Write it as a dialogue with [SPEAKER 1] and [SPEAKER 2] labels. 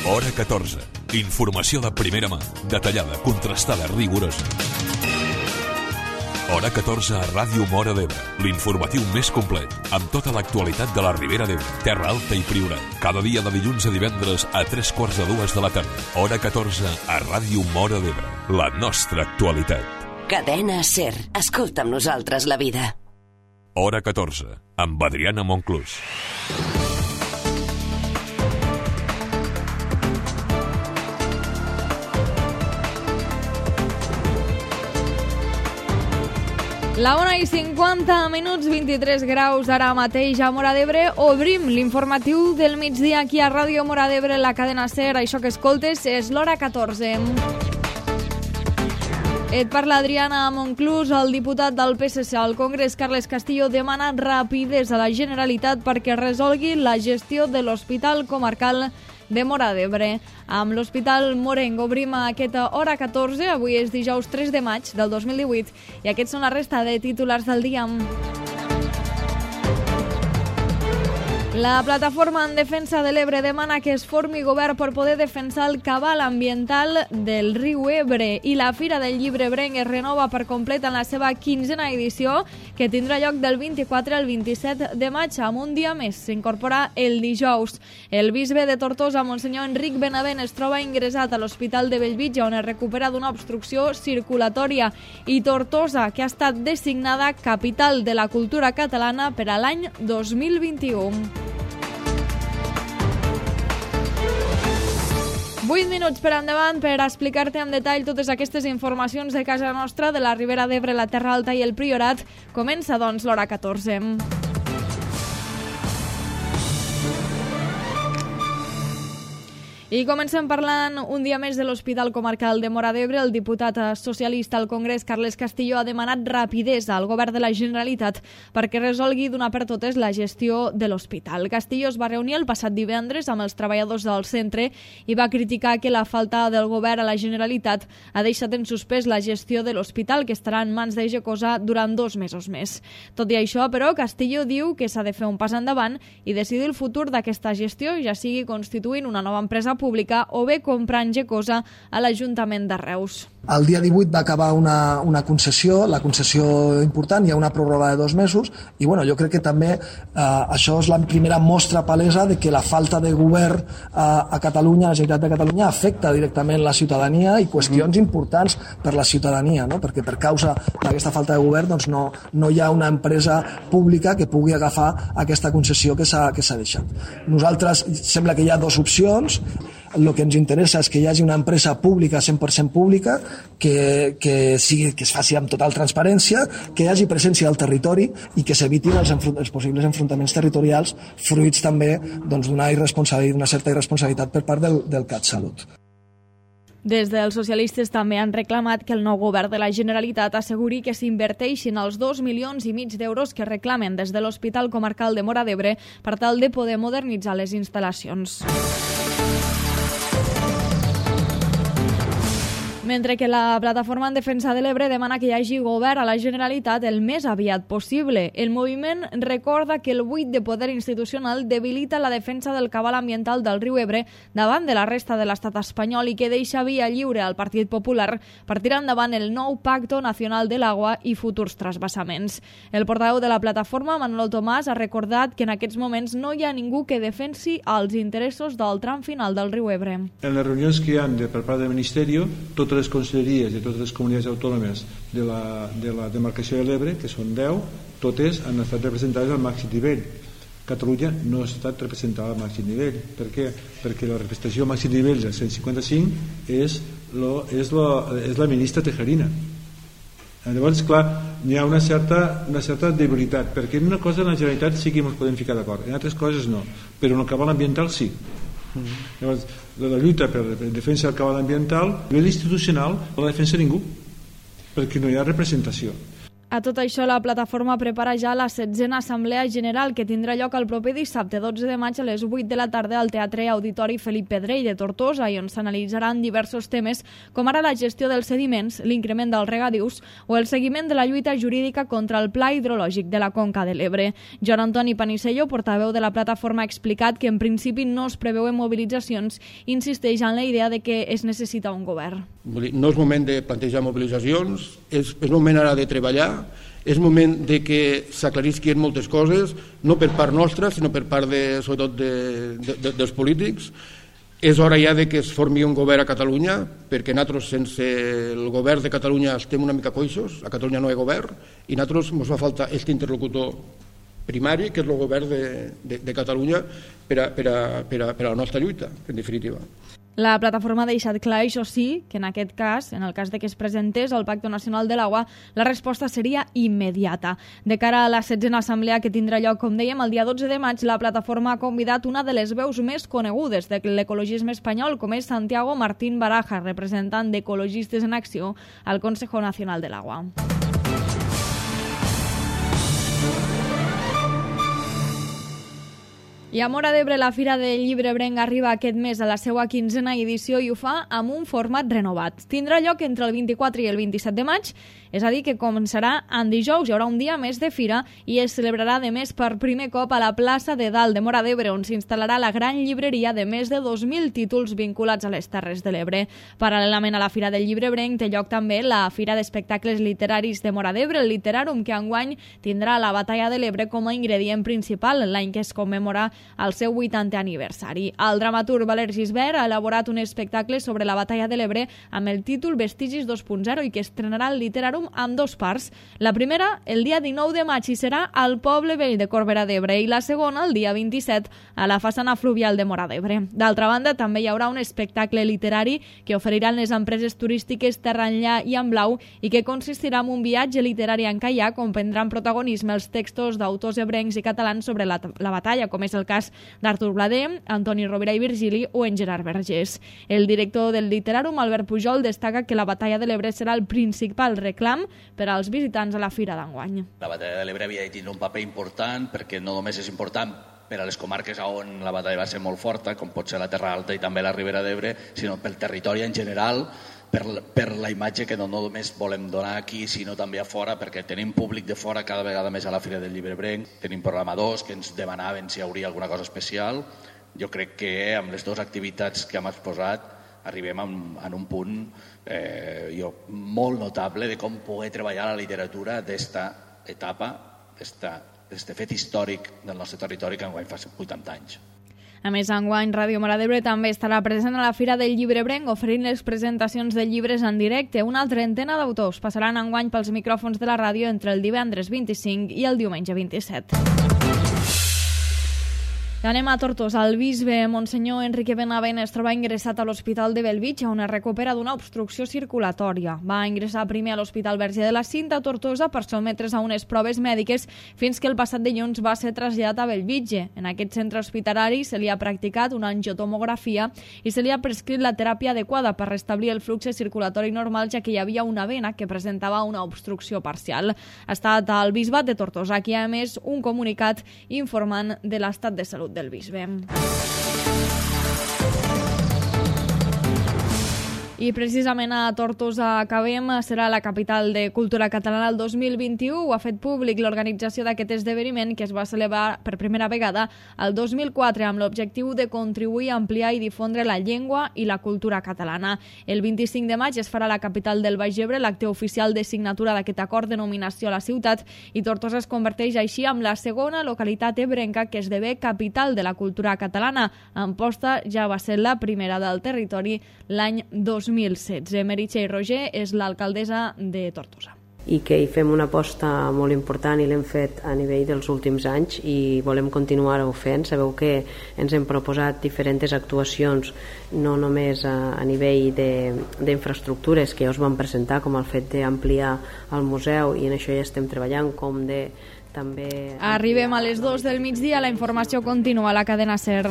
[SPEAKER 1] Hora 14. Informació de primera mà, detallada, contrastada, rigorosa. Hora 14 a Ràdio Móra d'Ebre, l'informatiu més complet, amb tota l'actualitat de la Ribera d'Ebre, Terra Alta i Priorat. Cada dia de dilluns a divendres a 3:45 de la tarda. Hora 14 a Ràdio Móra d'Ebre, la nostra actualitat.
[SPEAKER 2] Cadena SER. Escolta amb nosaltres la vida.
[SPEAKER 1] Hora 14, amb Adriana Monclús.
[SPEAKER 3] La 1:50, 23 graus ara mateix a Móra d'Ebre. Obrim l'informatiu del migdia aquí a Ràdio Móra d'Ebre, la cadena SER. Això que escoltes és l'Hora 14. Et parla Adriana Monclús. El diputat del PSC al Congrés, Carles Castillo, demana rapidesa a la Generalitat perquè resolgui la gestió de l'Hospital Comarcal de Móra d'Ebre. Amb l'Hospital Morenc obrim aquesta Hora 14. Avui és dijous 3 de maig del 2018 i aquests són la resta de titulars del dia. La plataforma en defensa de l'Ebre demana que es formi govern per poder defensar el cabal ambiental del riu Ebre, i la Fira del Llibre Ebrenc es renova per complet en la seva 15a edició, que tindrà lloc del 24 al 27 de maig, amb un dia més. S'incorpora el dijous. El bisbe de Tortosa, Monsenyor Enric Benavent, es troba ingressat a l'Hospital de Bellvitge, on es recupera d'una obstrucció circulatòria. I Tortosa, que ha estat designada capital de la cultura catalana per a l'any 2021. 8 minuts per endavant per explicar-te en detall totes aquestes informacions de casa nostra, de la Ribera d'Ebre, la Terra Alta i el Priorat. Comença, doncs, l'Hora 14. I comencem parlant un dia més de l'Hospital Comarcal de Móra d'Ebre. El diputat socialista al Congrés, Carles Castillo, ha demanat rapidesa al govern de la Generalitat perquè resolgui d'una per totes la gestió de l'hospital. Castillo es va reunir el passat divendres amb els treballadors del centre i va criticar que la falta del govern a la Generalitat ha deixat en suspès la gestió de l'hospital, que estarà en mans de Gecosa durant 2 mesos més. Tot i això, però, Castillo diu que s'ha de fer un pas endavant i decidir el futur d'aquesta gestió, ja sigui constituint una nova empresa pública o bé comprant Gecosa a l'Ajuntament de Reus.
[SPEAKER 4] El dia 18 va acabar una concessió, la concessió important, hi ha una pròrroga de 2 mesos, i bueno, jo crec que també això és la primera mostra palesa de que la falta de govern a Catalunya, a la Generalitat de Catalunya, afecta directament la ciutadania i qüestions importants per la ciutadania, no? Perquè per causa d'aquesta falta de govern doncs no hi ha una empresa pública que pugui agafar aquesta concessió que s'ha deixat. Nosaltres sembla que hi ha 2 opcions. El que ens interessa és que hi hagi una empresa pública, 100% pública, que es faci amb total transparència, que hi hagi presència al territori i que s'evitin els possibles enfrontaments territorials fruits també d'una certa irresponsabilitat per part del CatSalut.
[SPEAKER 3] Des dels socialistes també han reclamat que el nou govern de la Generalitat asseguri que s'inverteixin els 2,5 milions d'euros que reclamen des de l'Hospital Comarcal de Móra d'Ebre per tal de poder modernitzar les instal·lacions. Mentre que la plataforma en defensa de l'Ebre demana que hi hagi govern a la Generalitat el més aviat possible. El moviment recorda que el buit de poder institucional debilita la defensa del cabal ambiental del riu Ebre davant de la resta de l'estat espanyol i que deixa via lliure al Partit Popular per tirar endavant el nou Pacto Nacional de l'Agua i futurs trasvassaments. El portaveu de la plataforma, Manuel Tomàs, ha recordat que en aquests moments no hi ha ningú que defensi els interessos del tram final del riu Ebre.
[SPEAKER 5] En les reunions que hi ha per part del Ministeri, totes les conselleries i totes les comunitats autònomes de la demarcació de l'Ebre, que són 10, totes han estat representades al màxim nivell. Catalunya no ha estat representada al màxim nivell. Per què? Perquè la representació al màxim nivell del 155 és la ministra Tejerina. Llavors, clar, hi ha una certa debilitat, perquè en una cosa en la Generalitat sí que ens podem ficar d'acord, en altres coses no, però en el cabal ambiental sí. Llavors, la lluita per la defensa del cabal ambiental a nivell institucional no la defensa ningú, perquè no hi ha representació.
[SPEAKER 3] A tot això, la plataforma prepara ja la 16a Assemblea General, que tindrà lloc el proper dissabte 12 de maig a les 8 de la tarda al Teatre Auditori Felip Pedrell de Tortosa, i on s'analitzaran diversos temes com ara la gestió dels sediments, l'increment dels regadius o el seguiment de la lluita jurídica contra el pla hidrològic de la Conca de l'Ebre. Joan Antoni Panisello, portaveu de la plataforma, ha explicat que en principi no es preveuen mobilitzacions i insisteix en la idea de que es necessita un govern.
[SPEAKER 6] No és moment de plantejar mobilitzacions, és moment ara de treballar, és moment de que s'aclarisquin moltes coses, no per part nostra, sinó per part, sobretot, dels polítics. És hora ja de que es formi un govern a Catalunya, perquè nosaltres sense el govern de Catalunya estem una mica coixos, a Catalunya no hi ha govern, i a nosaltres ens fa falta aquest interlocutor primari, que és el govern de Catalunya per a la nostra lluita, en definitiva.
[SPEAKER 3] La plataforma ha deixat clar, això sí, que en aquest cas, en el cas de que es presentés el Pacte Nacional de l'Aigua, la resposta seria immediata. De cara a la 16a assemblea que tindrà lloc, com dèiem, el dia 12 de maig, la plataforma ha convidat una de les veus més conegudes de l'ecologisme espanyol, com és Santiago Martín Baraja, representant d'Ecologistes en Acció al Consejo Nacional de l'Agua. I a Móra d'Ebre, la Fira del Llibre Ebrenc arriba aquest mes a la seva 15a edició i ho fa amb un format renovat. Tindrà lloc entre el 24 i el 27 de maig, és a dir, que començarà en dijous. Hi haurà un dia més de fira i es celebrarà, de més, per primer cop a la plaça de Dalt de Móra d'Ebre, on s'instal·larà la gran llibreria de més de 2.000 títols vinculats a les Terres de l'Ebre. Paral·lelament a la Fira del Llibre Ebrenc té lloc també la Fira d'Espectacles Literaris de Móra d'Ebre, el Literàrum, que enguany tindrà la Batalla de l'Ebre com a ingredient principal, l'any que es commemora el seu 80è aniversari. El dramaturg Valer Gisbert ha elaborat un espectacle sobre la Batalla de l'Ebre amb el títol Vestigis 2.0 i que estrenarà el Literàrum amb dos parts. La primera, el dia 19 de maig, i serà al Poble Vell de Corbera d'Ebre, i la segona, el dia 27, a la façana fluvial de Móra d'Ebre. D'altra banda, també hi haurà un espectacle literari que oferiran les empreses turístiques Terra Enllà i En Blau i que consistirà en un viatge literari en caiac on prendran protagonisme els textos d'autors ebrencs i catalans sobre la batalla, com és el cas d'Artur Bladé, Antoni Rovira i Virgili o en Gerard Vergés. El director del Literàrum, Albert Pujol, destaca que la Batalla de l'Ebre serà el principal reclam per als visitants a la fira d'enguany.
[SPEAKER 7] La Batalla de l'Ebre havia de tenir un paper important perquè no només és important per a les comarques on la batalla va ser molt forta, com pot ser la Terra Alta i també la Ribera d'Ebre, sinó pel territori en general, per la imatge que no només volem donar aquí, sinó també a fora, perquè tenim públic de fora cada vegada més a la Fira del Llibre Ebrenc, tenim programadors que ens demanaven si hi hauria alguna cosa especial. Jo crec que amb les dues activitats que hem exposat arribem en un punt molt notable de com poder treballar la literatura d'esta etapa, d'este fet històric del nostre territori que enguany fa 80 anys.
[SPEAKER 3] A més, enguany, Ràdio Móra d'Ebre també estarà present a la Fira del Llibre Ebrenc oferint les presentacions de llibres en directe. Una trentena d'autors passaran enguany pels micròfons de la ràdio entre el divendres 25 i el diumenge 27. Anem a Tortosa. El bisbe Monsenyor Enrique Benavent es troba ingressat a l'Hospital de Bellvitge, on es recupera d'una obstrucció circulatòria. Va ingressar primer a l'Hospital Verge de la Cinta a Tortosa per sotmetre's a unes proves mèdiques fins que el passat dilluns va ser traslladat a Bellvitge. En aquest centre hospitalari se li ha practicat una angiotomografia i se li ha prescrit la teràpia adequada per restablir el flux circulatori normal, ja que hi havia una vena que presentava una obstrucció parcial. Ha estat el bisbat de Tortosa qui ha emès un comunicat informant de l'estat de salut del bisbe. I precisament a Tortosa acabem, serà la capital de cultura catalana el 2021. Ho ha fet públic l'organització d'aquest esdeveniment que es va celebrar per primera vegada el 2004 amb l'objectiu de contribuir a ampliar i difondre la llengua i la cultura catalana. El 25 de maig es farà a la capital del Baix Ebre l'acte oficial de signatura d'aquest acord de nominació a la ciutat i Tortosa es converteix així en la segona localitat ebrenca que esdevé capital de la cultura catalana. Amposta ja va ser la primera del territori l'any 2016. Meritxell Roger és l'alcaldessa de Tortosa.
[SPEAKER 8] I que hi fem una aposta molt important i l'hem fet a nivell dels últims anys i volem continuar-ho fent. Sabeu que ens hem proposat diferents actuacions, no només a nivell d'infraestructures que ja us vam presentar, com el fet d'ampliar el museu, i en això ja estem treballant, com de també...
[SPEAKER 3] Arribem a les 2 del migdia, la informació continua a la cadena SER.